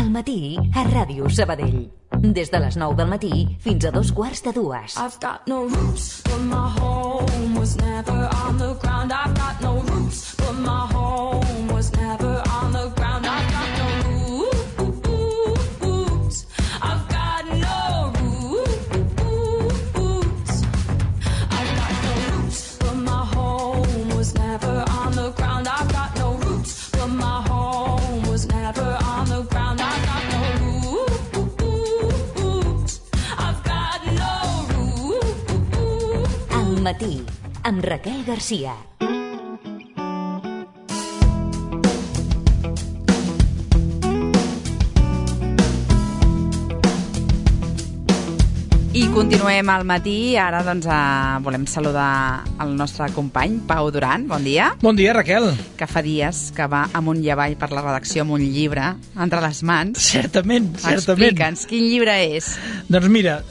Al matí, a Ràdio Sabadell. Des de les 9 del matí fins a 2:15. I've got no roots, but my home was never on the ground. I've got no roots, but my home was never on the ground. I've got no roots. I've got no roots. I've got no roots, but my home was never on the ground. I've got no roots, but my home was never on the ground. I've got no roots. I've got no roots. Al matí, amb Raquel Garcia. I continuem al matí. Ara doncs volem saludar el nostre company Pau Duran. Bon dia. Bon dia, Raquel. Que fa dies que va amunt i avall per la redacció amb un llibre entre les mans. Certament. Explica'ns, quin llibre és? Doncs mira,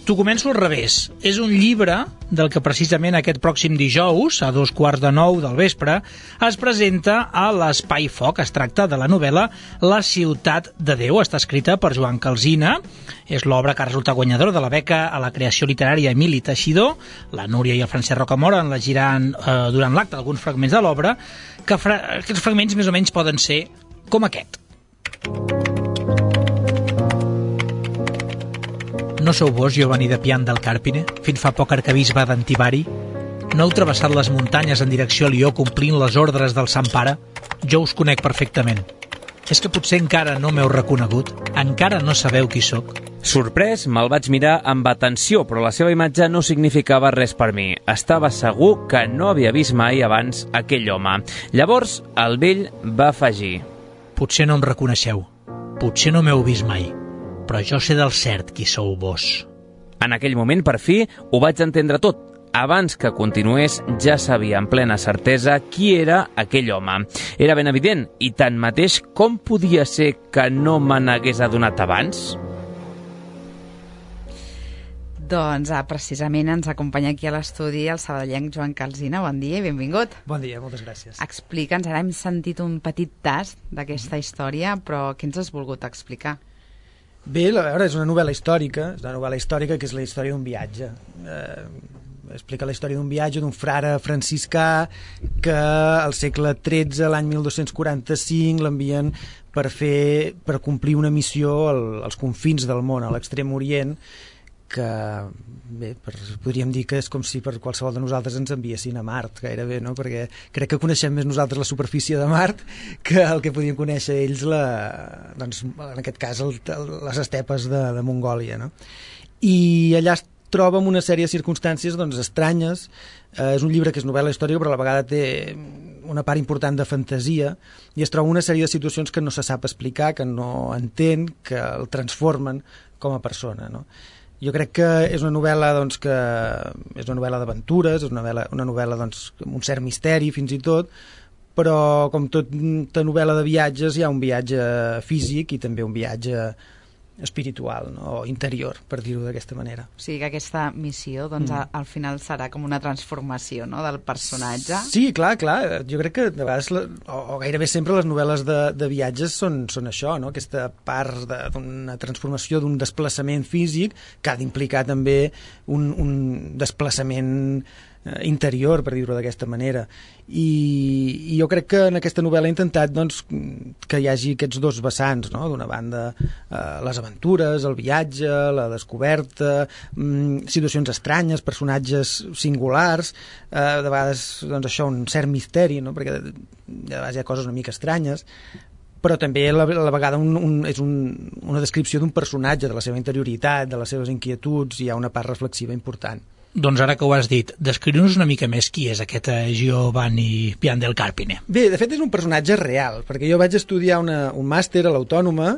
t'ho començo al revés. És un llibre del que precisament aquest pròxim dijous, a 8:45 del vespre, es presenta a l'Espai Foc. Es tracta de la novel·la La ciutat de Déu. Està escrita per Joan Calsina. És l'obra que ha resultat guanyadora de la beca a la creació literària Emili Teixidor. La Núria i el Francesc Rocamora en llegiran durant l'acte alguns fragments de l'obra, que aquests fragments més o menys poden ser com aquest. No sou vos, Giovanni de Pian del Carpine, fins fa poc arquebisbe d'Antivari? No heu travessat les muntanyes en direcció a Lió complint les ordres del Sant Pare? Jo us conec perfectament. És que potser encara no m'heu reconegut? Encara no sabeu qui sóc? Sorprès, me'l vaig mirar amb atenció, però la seva imatge no significava res per mi. Estava segur que no havia vist mai abans aquell home. Llavors, el vell va afegir: Potser no em reconeixeu, potser no m'heu vist mai, però jo sé del cert qui sou vos. En aquell moment, per fi, ho vaig entendre tot. Abans que continués, ja sabia amb plena certesa qui era aquell home. Era ben evident, i tanmateix, com podia ser que no me n'hagués adonat abans? Doncs precisament ens acompanya aquí a l'estudi el sabadellenc Joan Calsina. Bon dia i benvingut. Bon dia, moltes gràcies. Explica'ns, ara hem sentit un petit tast d'aquesta història, però què ens has volgut explicar? Bé, a veure, és una novel·la històrica, que és la història d'un viatge. Explica la història d'un viatge d'un frare franciscà que al segle XIII, l'any 1245, l'envien per complir una missió als confins del món, a l'extrem orient, que bé, podríem dir que és com si per qualsevol de nosaltres ens enviessin a Mart, gairebé, no? Perquè crec que coneixem més nosaltres la superfície de Mart que el que podien conèixer ells, doncs, en aquest cas, les estepes de Mongòlia, no? I allà es troba amb una sèrie de circumstàncies doncs, estranyes. És un llibre que és novel·la històrica, però a la vegada té una part important de fantasia, i es troba una sèrie de situacions que no se sap explicar, que no entén, que el transformen com a persona, no? Jo crec que és una novel·la doncs, que és una novel·la d'aventures, és una novel·la doncs, amb un cert misteri fins i tot, però com tota novel·la de viatges hi ha un viatge físic i també un viatge espiritual, no? O interior, per dir-ho d'aquesta manera. O sigui que aquesta missió doncs, al final serà com una transformació, no?, del personatge. Sí, clar. Jo crec que de vegades, o gairebé sempre, les novel·les de viatges són això, no? Aquesta part d'una transformació, d'un desplaçament físic que ha d'implicar també un desplaçament interior, per dir-ho d'aquesta manera. I jo crec que en aquesta novel·la he intentat doncs, que hi hagi aquests dos vessants, no? D'una banda les aventures, el viatge, la descoberta, situacions estranyes, personatges singulars, de vegades doncs, això, un cert misteri, no? Perquè de vegades hi ha coses una mica estranyes, però també a la vegada és una descripció d'un personatge, de la seva interioritat, de les seves inquietuds, i hi ha una part reflexiva important. Doncs ara que ho has dit, descriu-nos una mica més qui és aquest Giovanni Pian del Carpine. Bé, de fet és un personatge real, perquè jo vaig estudiar un màster a l'Autònoma,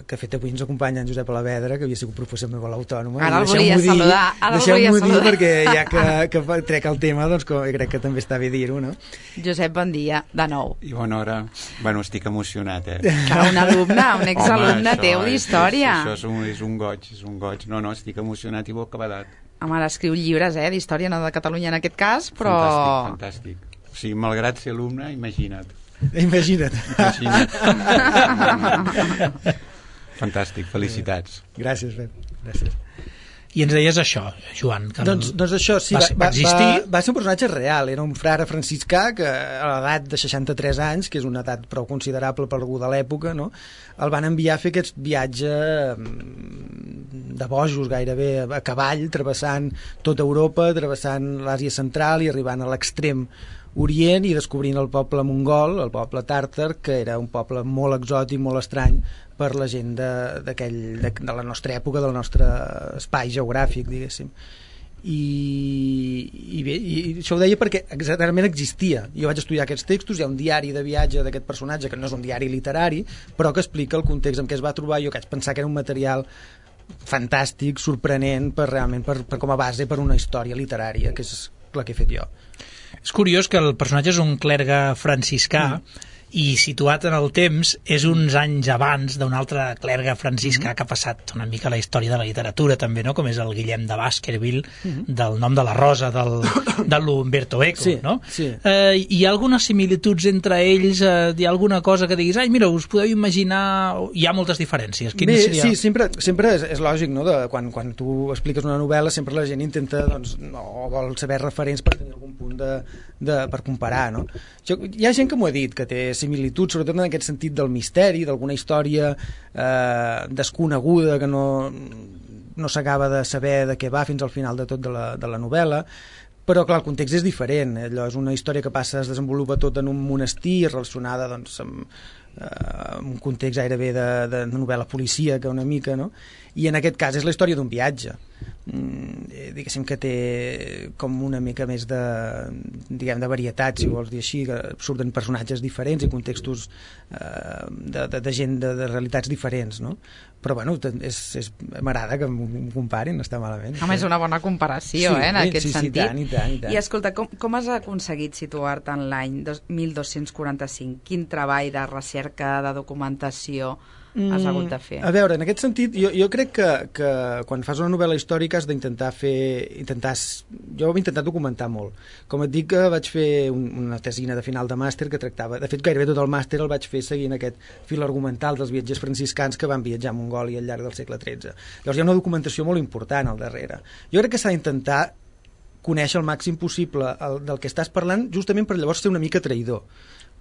que fet avui ens acompanya en Josep Alavedra, que havia sigut professor meu a l'Autònoma. Ara el volia saludar. Deixeu-m'ho dir, perquè ja que trec el tema, doncs crec que també està bé dir-ho, no? Josep, bon dia, de nou. I bona hora. Bueno, estic emocionat, Que un alumne, un exalumne teu d'història. Això és un goig. No, estic emocionat i bocabadat. Home, ara escriu llibres, d'història, no de Catalunya en aquest cas, però... Fantàstic. O sigui, malgrat ser alumne, imagina't. Imagina't. Fantàstic, felicitats. Gràcies, Pep. Gràcies. I ens deies això, Joan. Que doncs això, sí, va existir. Va ser un personatge real, era un frare franciscà que a l'edat de 63 anys, que és una edat prou considerable per algú de l'època, no? El van enviar a fer aquest viatge de bojos gairebé a cavall, travessant tota Europa, travessant l'Àsia Central i arribant a l'extrem Orient i descobrint el poble mongol, el poble tàrtar, que era un poble molt exòtic, molt estrany per la gent de la nostra època, del nostre espai geogràfic, diguéssim. I bé, i això ho deia perquè exactament existia. Jo vaig estudiar aquests textos, hi ha un diari de viatge d'aquest personatge, que no és un diari literari, però que explica el context en què es va trobar. Jo vaig pensar que era un material fantàstic, sorprenent, realment per com a base per una història literària, que és la que he fet jo. És curiós que el personatge és un clergue franciscà i situat en el temps és uns anys abans d'un altre clergue franciscà que ha passat una mica a la història de la literatura també, no? Com és el Guillem de Baskerville, del nom de la rosa de l'Umberto Eco, sí, no? Sí. Hi ha algunes similituds entre ells? Hi ha alguna cosa que diguis, ai, mira, us podeu imaginar... Hi ha moltes diferències. Bé, seria... Sí, sempre és lògic, no? Quan tu expliques una novel·la sempre la gent intenta, doncs, o vol saber referents per tenir algun punt per comparar, no? Hi ha gent que m'ho ha dit, que té similitud, sobretot en aquest sentit del misteri, d'alguna història desconeguda que no s'acaba de saber de què va fins al final de tot de la novel·la, però clar, el context és diferent. Allò és una història que es desenvolupa tot en un monestir relacionada doncs, amb un context gairebé de novel·la policíaca una mica, no? I en aquest cas és la història d'un viatge, diguéssim que té com una mica més de varietat, si vols dir així, que surten personatges diferents i contextos de gent de realitats diferents, no? Però bueno, m'agrada que m'ho comparin, no està malament. Home, és una bona comparació, sí, en aquest sentit. I tant. I escolta, com has aconseguit situar-te en l'any 1245? Quin treball de recerca, de documentació has hagut de fer? A veure, en aquest sentit, jo crec que quan fas una novel·la històrica has d'intentar jo ho he intentat documentar molt. Com et dic, que vaig fer una tesina de final de màster que tractava... De fet, gairebé tot el màster el vaig fer seguint aquest fil argumental dels viatgers franciscans que van viatjar a Mongòlia al llarg del segle XIII. Llavors hi ha una documentació molt important al darrere. Jo crec que s'ha d'intentar conèixer el màxim possible del que estàs parlant, justament per llavors ser una mica traïdor,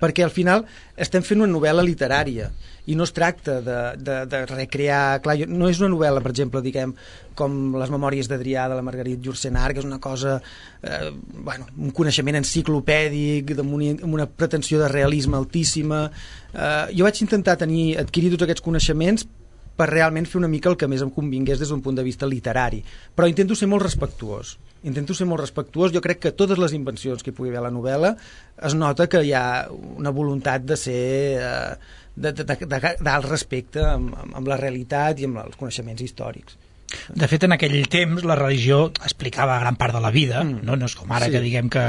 perquè al final estem fent una novel·la literària i no es tracta de recrear... Clar, no és una novel·la, per exemple, diguem, com les memòries d'Adrià de la Marguerite Yourcenar, que és una cosa, un coneixement enciclopèdic, amb una pretensió de realisme altíssima. Jo vaig intentar adquirir tots aquests coneixements per realment fer una mica el que més em convingués des d'un punt de vista literari. Però intento ser molt respectuós. Jo crec que totes les invencions que hi pugui haver a la novel·la es nota que hi ha una voluntat de ser d'alt respecte amb la realitat i amb els coneixements històrics. De fet, en aquell temps la religió explicava gran part de la vida, no és com ara que diguem que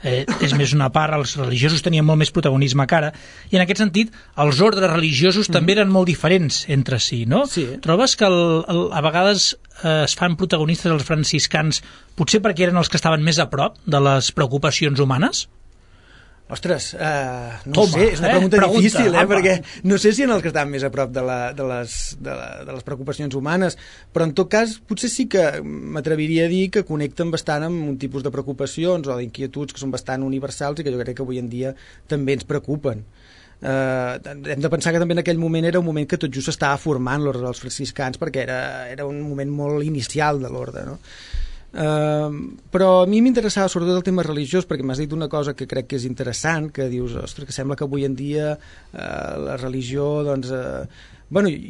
és més una part, els religiosos tenien molt més protagonisme que ara, i en aquest sentit els ordres religiosos també eren molt diferents entre si, no? Sí. Trobes que a vegades es fan protagonistes els franciscans potser perquè eren els que estaven més a prop de les preocupacions humanes? Ostres, no sé, és una pregunta difícil, perquè no sé si en els que estan més a prop de les preocupacions humanes, però en tot cas potser sí que m'atreviria a dir que connecten bastant amb un tipus de preocupacions o d'inquietuds que són bastant universals i que jo crec que avui en dia també ens preocupen. Hem de pensar que també en aquell moment era un moment que tot just s'estava formant l'ordre dels franciscans, perquè era un moment molt inicial de l'ordre, no? Però a mi m'interessava sobretot el tema religiós, perquè m'has dit una cosa que crec que és interessant, que dius, ostres, que sembla que avui en dia la religió, doncs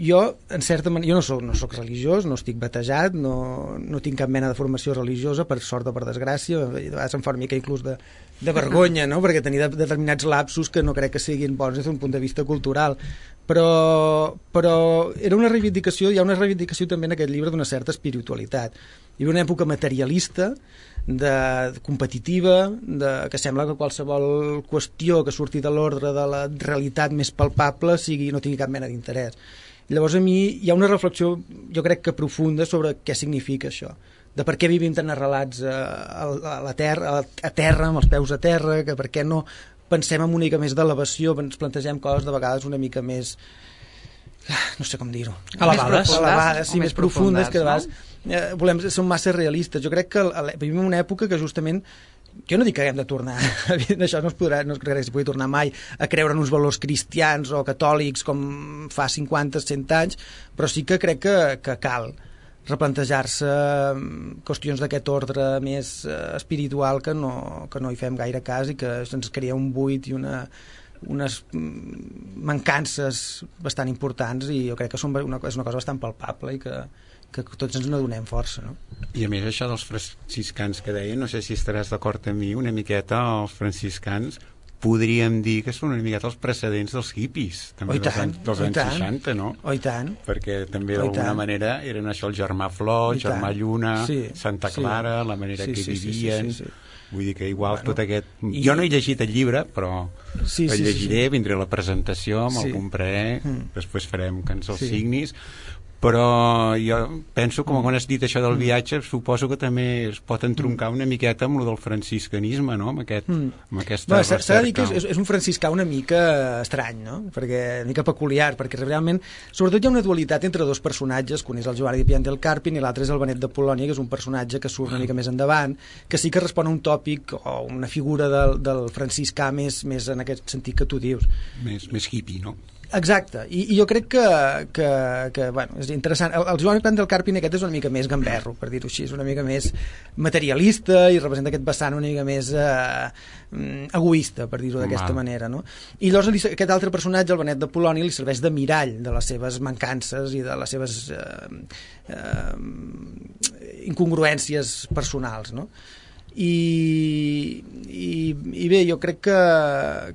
jo en certa manera, jo no soc religiós, no estic batejat, no tinc cap mena de formació religiosa, per sort o per desgràcia, de vegades em fa una mica inclús de vergonya, no? Perquè tenir determinats lapsus que no crec que siguin bons des d'un punt de vista cultural, però era una reivindicació, hi ha una reivindicació també en aquest llibre d'una certa espiritualitat. Hi havia una època materialista, competitiva, que sembla que qualsevol qüestió que surti de l'ordre de la realitat més palpable no tingui cap mena d'interès. Llavors a mi hi ha una reflexió, jo crec que profunda, sobre què significa això, de per què vivim tan arrelats a terra, amb els peus a terra, que per què no pensem en una mica més d'elevació, ens plantegem coses de vegades una mica més, no sé com dir-ho, elevades, sí, més profundes, que de vegades som massa realistes. Jo crec que vivim en una època que justament, jo no dic que haguem de tornar, això no crec que s'hi pugui tornar mai a creure en uns valors cristians o catòlics com fa 50-100 anys, però sí que crec que cal replantejar-se qüestions d'aquest ordre més espiritual que no hi fem gaire cas i que se'ns crea un buit i unes mancances bastant importants, i jo crec que és una cosa bastant palpable i que tots ens n'adonem força, no? I a més això dels franciscans que deia, no sé si estaràs d'acord amb mi, una miqueta els franciscans podríem dir que són una miqueta els precedents dels hippies, també dels anys 60, no? Oh, i tant. Perquè també d'alguna manera eren això el germà Flor, germà Lluna, Santa Clara, la manera que vivien... Vull dir que igual tot aquest... Jo no he llegit el llibre, però el llegiré, vindré a la presentació, me'l compraré, després farem que ens el signis, però jo penso, com quan has dit això del viatge, suposo que també es pot entroncar una miqueta amb el del franciscanisme, no? Amb aquesta recerca. S'ha de dir que és un franciscà una mica estrany, no? Una mica peculiar, perquè realment, sobretot hi ha una dualitat entre dos personatges, un és el Giovanni di Pian del Carpine i l'altre és el Benet de Polònia, que és un personatge que surt una mica més endavant, que sí que respon a un tòpic o una figura del franciscà més en aquest sentit que tu dius. Més hippie, no? Exacte, i jo crec que bueno, és interessant. El Giovanni Pian del Carpine aquest és una mica més gamberro, per dir-ho així, és una mica més materialista i representa aquest vessant una mica més egoista, per dir-ho d'aquesta manera, no? I llavors aquest altre personatge, el Benet de Polònia, li serveix de mirall de les seves mancances i de les seves incongruències personals, no? I bé, jo crec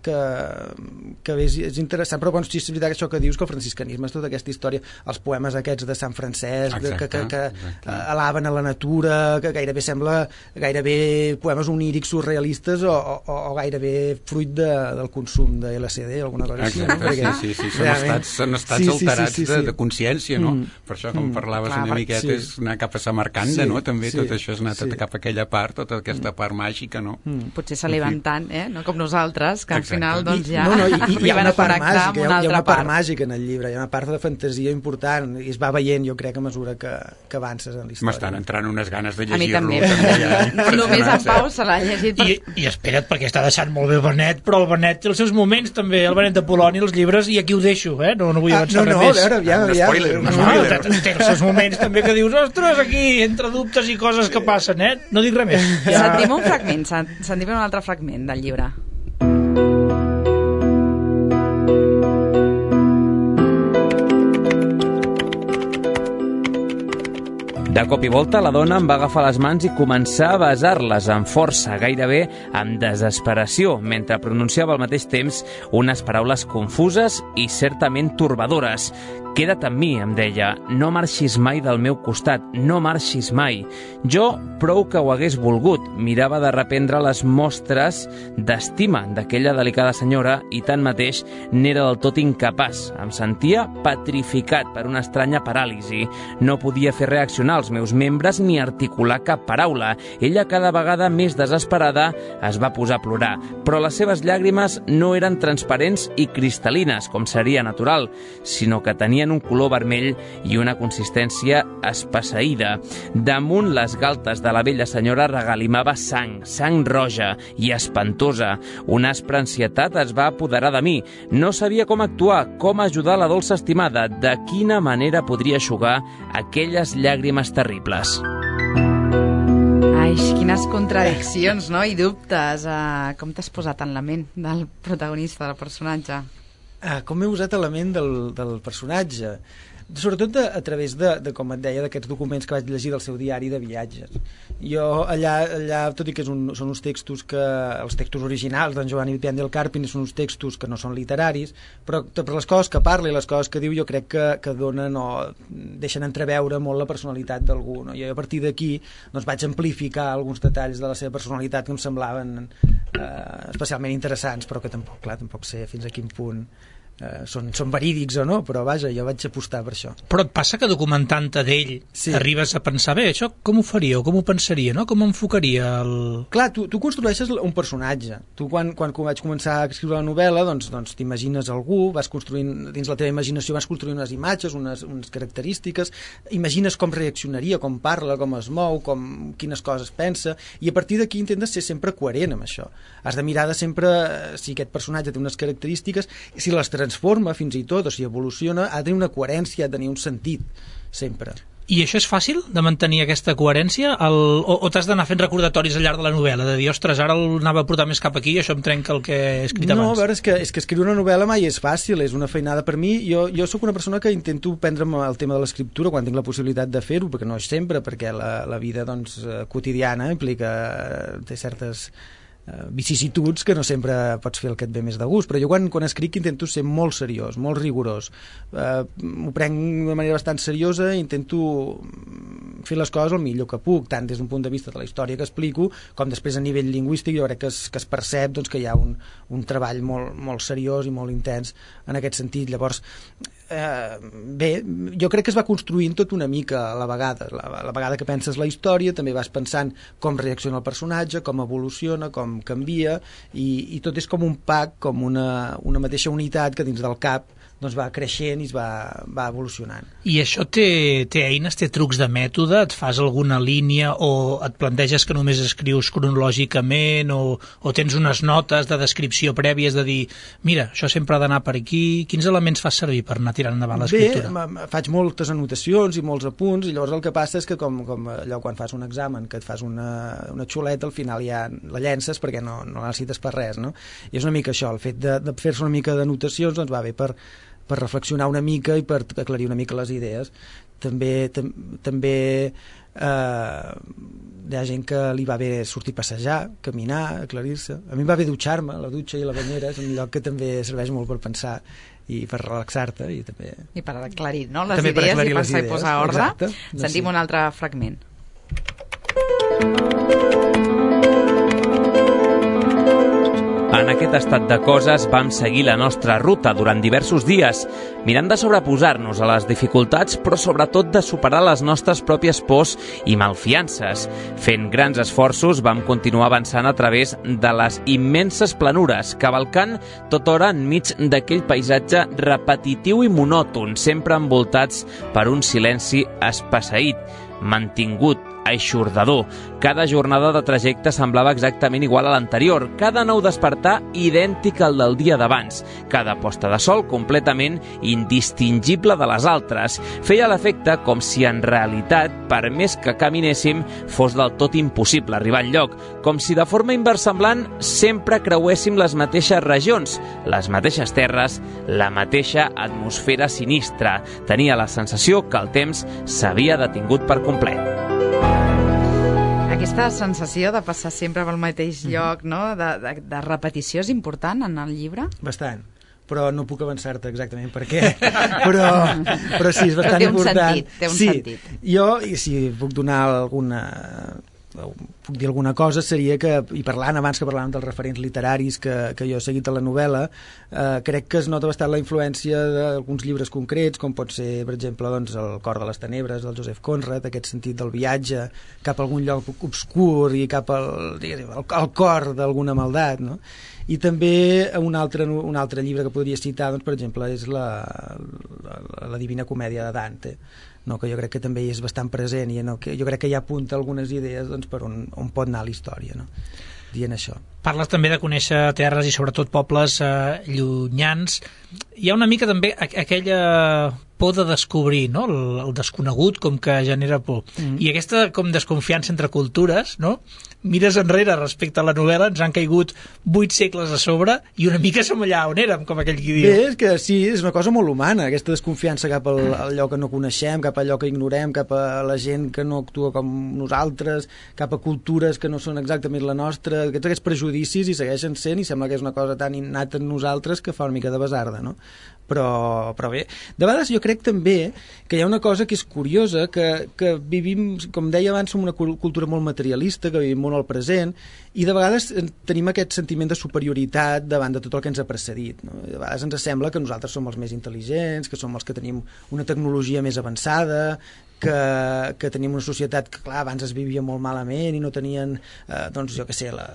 que és interessant, però és veritat això que dius, que el franciscanisme és tota aquesta història, els poemes aquests de Sant Francesc, que alaben a la natura, que gairebé sembla poemes onírics surrealistes o gairebé fruit del consum de LSD o alguna cosa així, no? Sí, són estats alterats de consciència, no? Per això, com parlaves una miqueta, és anar cap a Samarcanda, no? També tot això és anar cap a aquella part, tota aquesta part màgica, no? Potser s'eleven tant, no? Com nosaltres, que al final doncs ja hi ha una part màgica, hi ha una part màgica en el llibre, hi ha una part de fantasia important i es va veient, jo crec, a mesura que avances en la història. M'estan entrant unes ganes de llegir-lo. A mi també. Només en Pau se l'ha llegit. I espera't, perquè està deixant molt bé Benet, però el Benet té els seus moments també, el Benet de Polònia, els llibres, i aquí ho deixo, no vull avançar res més. No, a veure, té els seus moments també que dius, ostres, aquí, entre dubtes i coses que passen, no dic res més. Sentim un fragment, sentim un altre fragment del llibre. De cop i volta, la dona em va agafar les mans i començar a besar-les amb força, gairebé amb desesperació, mentre pronunciava al mateix temps unes paraules confuses i certament torbadores. Queda't amb mi, em deia, no marxis mai del meu costat, no marxis mai. Jo, prou que ho hagués volgut, mirava de reprendre les mostres d'estima d'aquella delicada senyora i tanmateix n'era del tot incapaç. Em sentia petrificat per una estranya paràlisi. No podia fer reaccionar els meus membres ni articular cap paraula. Ella, cada vegada més desesperada, es va posar a plorar, però les seves llàgrimes no eren transparents i cristal·lines, com seria natural, sinó que tenien un color vermell i una consistència espesseïda. Damunt les galtes de la vella senyora regalimava sang roja i espantosa. Una aspra ansietat es va apoderar de mi. No sabia com actuar, com ajudar la dolça estimada, de quina manera podria eixugar aquelles llàgrimes terribles. Ai, quines contradiccions, no? I dubtes. Com t'has posat en la ment del protagonista, del personatge? Com he usat la ment del personatge? Sobretot a través de, com et deia, d'aquests documents que vaig llegir del seu diari de viatges. Jo allà tot i que són uns textos els textos originals d'en Giovanni di Pian del Carpine són uns textos que no són literaris, però per les coses que parla i les coses que diu jo crec que donen o deixen entreveure molt la personalitat d'algú, no? Jo a partir d'aquí doncs vaig amplificar alguns detalls de la seva personalitat que em semblaven especialment interessants, però que tampoc sé fins a quin punt són verídics o no, però vaja, jo vaig apostar per això. Però et passa que documentant-te d'ell arribes a pensar, bé, això com ho faria o com ho pensaria, no? Com enfocaria el... Clar, tu construeixes un personatge. Tu quan vaig començar a escriure la novel·la, doncs t'imagines algú, vas construint, dins la teva imaginació vas construint unes imatges, unes característiques, imagines com reaccionaria, com parla, com es mou, quines coses pensa, i a partir d'aquí intentes ser sempre coherent amb això. Has de mirar de sempre si aquest personatge té unes característiques, si les transforma fins i tot, o si evoluciona, ha de tenir una coherència, ha de tenir un sentit, sempre. I això és fàcil, de mantenir aquesta coherència? O t'has d'anar fent recordatoris al llarg de la novel·la, de dir, ostres, ara anava a portar més cap aquí i això em trenca el que he escrit abans? No, a veure, és que escriure una novel·la mai és fàcil, és una feinada per mi. Jo sóc una persona que intento prendre'm el tema de l'escriptura quan tinc la possibilitat de fer-ho, perquè no és sempre, perquè la vida quotidiana té certes vicissituds que no sempre pots fer el que et ve més de gust, però jo quan escric intento ser molt seriós, molt rigorós, m'ho prenc de manera bastant seriosa, intento fer les coses el millor que puc, tant des d'un punt de vista de la història que explico com després a nivell lingüístic. Jo crec que es percep que hi ha un treball molt seriós i molt intens en aquest sentit. Llavors bé, jo crec que es va construint tot una mica a la vegada que penses la història, també vas pensant com reacciona el personatge, com evoluciona, com canvia, i tot és com un pack, com una mateixa unitat que dins del cap va creixent i es va evolucionant. I això té eines, té trucs de mètode? Et fas alguna línia o et planteges que només escrius cronològicament o tens unes notes de descripció prèvies de dir, mira, això sempre ha d'anar per aquí? Quins elements fas servir per anar tirant endavant l'escriptura? Bé, faig moltes anotacions i molts apunts, i llavors el que passa és que com allò quan fas un examen, que et fas una xuleta, al final ja la llences perquè no la necessites per res, no? I és una mica això, el fet de fer-se una mica d'anotacions va bé per reflexionar una mica i per aclarir una mica les idees. També hi ha gent que li va bé sortir a passejar, caminar, aclarir-se. A mi em va bé dutxar-me, la dutxa i la banyera és un lloc que també serveix molt per pensar i per relaxar-te i per aclarir, no? Les idees i pensar i posar ordre. Exacte. Sentim un altre fragment. En aquest estat de coses vam seguir la nostra ruta durant diversos dies, mirant de sobreposar-nos a les dificultats, però sobretot de superar les nostres pròpies pors i malfiances. Fent grans esforços vam continuar avançant a través de les immenses planures, cavalcant tota hora enmig d'aquell paisatge repetitiu i monòton, sempre envoltats per un silenci espesseït, mantingut, eixordador. Cada jornada de trajecte semblava exactament igual a l'anterior, cada nou despertar idèntic al del dia d'abans, cada posta de sol completament indistingible de les altres. Feia l'efecte com si en realitat, per més que caminéssim, fos del tot impossible arribar enlloc, com si de forma inversemblant sempre creuéssim les mateixes regions, les mateixes terres, la mateixa atmosfera sinistra. Tenia la sensació que el temps s'havia detingut per complet. Aquesta sensació de passar sempre pel mateix lloc, no? de repetició, és important en el llibre? Bastant, però no puc avançar-te exactament per què, però sí, és bastant important. Té un sentit. Jo, i si puc donar puc dir alguna cosa, seria que, i abans que parlàvem dels referents literaris que jo he seguit a la novel·la, crec que es nota bastant la influència d'alguns llibres concrets, com pot ser, per exemple, El cor de les tenebres, del Joseph Conrad, aquest sentit del viatge cap a algun lloc obscur i cap al cor d'alguna maldat, no? I també un altre llibre que podria citar, doncs, per exemple, és la Divina Comèdia de Dante, no, que jo crec que també hi és bastant present i jo crec que ja apunta algunes idees per on pot anar la història, no? Dient això. Parles també de conèixer terres i sobretot pobles llunyans. Hi ha una mica també aquella por de descobrir, no? El desconegut com que genera por. I aquesta com desconfiança entre cultures, no? Mires enrere respecte a la novel·la, ens han caigut 8 segles a sobre i una mica som allà on érem, com aquell qui diu. Bé, és que sí, és una cosa molt humana, aquesta desconfiança cap al allò que no coneixem, cap a allò que ignorem, cap a la gent que no actua com nosaltres, cap a cultures que no són exactament la nostra, aquests prejudicis hi segueixen sent i sembla que és una cosa tan innata en nosaltres que fa una mica de basarda, no? però bé, de vegades jo crec també que hi ha una cosa que és curiosa, que vivim, com deia abans, som una cultura molt materialista, que vivim molt al present, i de vegades tenim aquest sentiment de superioritat davant de tot el que ens ha precedit, no? De vegades ens sembla que nosaltres som els més intel·ligents, que som els que tenim una tecnologia més avançada, que tenim una societat que, clar, abans es vivia molt malament i no tenien, doncs, jo què sé, la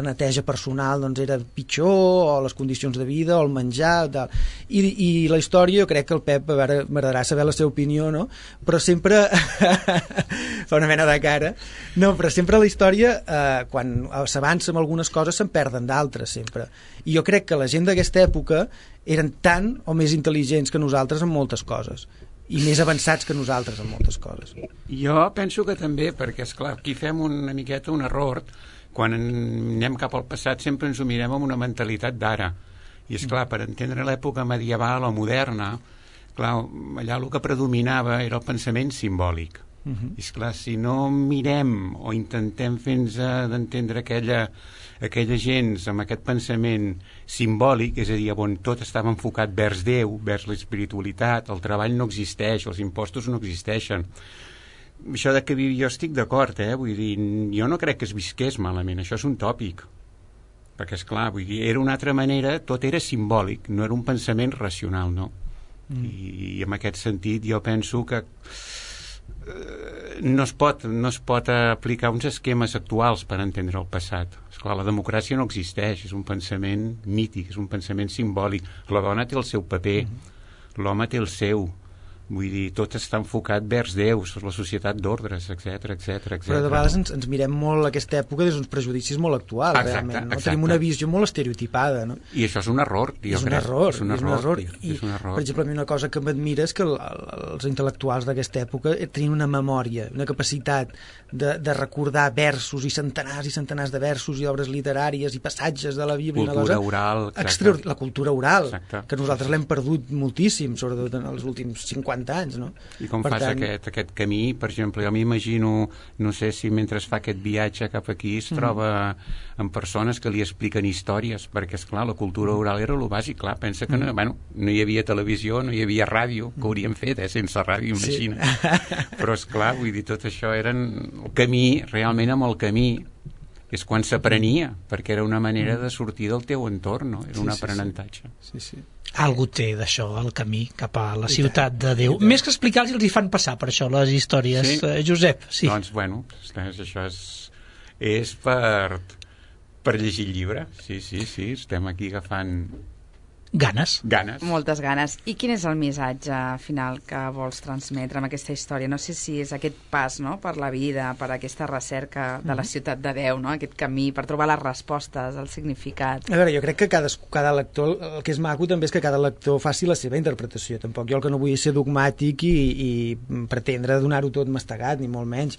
neteja personal doncs era pitjor, o les condicions de vida, o el menjar, tal. I la història, jo crec que el Pep, a veure, m'agradarà saber la seva opinió, no? Però sempre fa una mena de cara, no, però sempre la història, quan s'avança amb algunes coses, se'n perden d'altres, sempre. I jo crec que la gent d'aquesta època eren tan o més intel·ligents que nosaltres en moltes coses, i més avançats que nosaltres en moltes coses. Jo penso que també, perquè, esclar, aquí fem una miqueta un error. Quan anem cap al passat sempre ens ho mirem amb una mentalitat d'ara. I, esclar, per entendre l'època medieval o moderna, clar, allà el que predominava era el pensament simbòlic. I, esclar, si no mirem o intentem fer-nos d'entendre aquella gent amb aquest pensament simbòlic, és a dir, on tot estava enfocat vers Déu, vers l'espiritualitat, el treball no existeix, els impostos no existeixen. Això de que jo estic d'acord, vull dir, jo no crec que es visqués malament, això és un tòpic, perquè, esclar, vull dir, era una altra manera, tot era simbòlic, no era un pensament racional, no? I en aquest sentit jo penso que no es pot aplicar uns esquemes actuals per entendre el passat. Esclar, la democràcia no existeix, és un pensament mític, és un pensament simbòlic. La dona té el seu paper, l'home té el seu. Vull dir, tot està enfocat vers Déu, la societat d'ordres, etc. Però de vegades ens mirem molt aquesta època des d'uns prejudicis molt actuals, realment. No? Tenim una visió molt estereotipada. No? I això és un error, jo crec. És un error. Per exemple, a mi una cosa que m'admira és que els intel·lectuals d'aquesta època tenien una memòria, una capacitat de recordar versos i centenars de versos i obres literàries i passatges de la Bíblia. Cultura oral. La cultura oral, que nosaltres l'hem perdut moltíssim, sobretot en els últims 50 anys, no? I com fas aquest camí, per exemple, jo m'imagino, no sé si mentre fa aquest viatge cap aquí es troba amb persones que li expliquen històries, perquè, esclar, la cultura oral era el bàsic, clar, pensa que no hi havia televisió, no hi havia ràdio, que hauríem fet, sense ràdio, imagina. Però, esclar, vull dir, tot això eren el camí, realment amb el camí, és quan s'aprenia, perquè era una manera de sortir del teu entorn, no? Era un aprenentatge. Sí. Algú té d'això, el camí cap a la ciutat de Déu. Més que explicar-los, els hi fan passar per això, les històries. Sí? Josep, sí. Doncs, bueno, això és per llegir el llibre. Sí, estem aquí agafant ganes. Moltes ganes. I quin és el missatge final que vols transmetre amb aquesta història? No sé si és aquest pas, no?, per la vida, per aquesta recerca de la ciutat de Déu, no?, aquest camí per trobar les respostes, el significat. A veure, jo crec que cada lector, el que és maco també és que cada lector faci la seva interpretació. Tampoc jo el que no vull és ser dogmàtic i pretendre donar-ho tot mastegat, ni molt menys.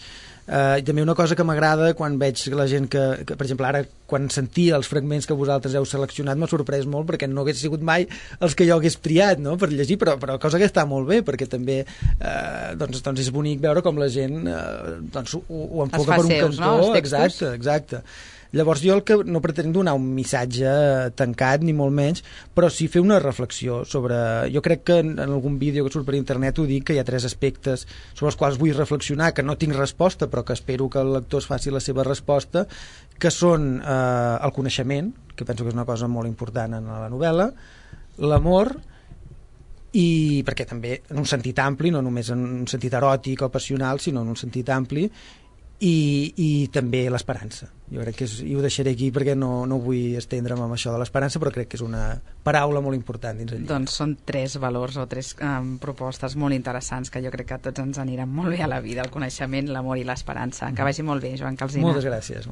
I també una cosa que m'agrada quan veig la gent que, per exemple, ara quan sentia els fragments que vosaltres heu seleccionat m'ha sorprès molt perquè no hagués sigut mai els que jo hagués triat, no?, per llegir, però cosa que està molt bé, perquè també doncs és bonic veure com la gent ho enfoca per un cantó, no? Exacte. Llavors jo el que no pretenc donar un missatge tancat, ni molt menys, però sí fer una reflexió sobre... Jo crec que en algun vídeo que surt per internet ho dic, que hi ha 3 aspectes sobre els quals vull reflexionar, que no tinc resposta, però que espero que el lector es faci la seva resposta, que són el coneixement, que penso que és una cosa molt important en la novel·la, l'amor, i perquè també en un sentit ampli, no només en un sentit eròtic o passional, sinó en un sentit ampli, i també l'esperança. Jo crec que i ho deixaré aquí perquè no vull estendre'm amb això de l'esperança, però crec que és una paraula molt important dins el llibre. Doncs són 3 valors o 3 propostes molt interessants que jo crec que a tots ens aniran molt bé a la vida: el coneixement, l'amor i l'esperança. Que vagi molt bé, Joan Calsina. Moltes gràcies.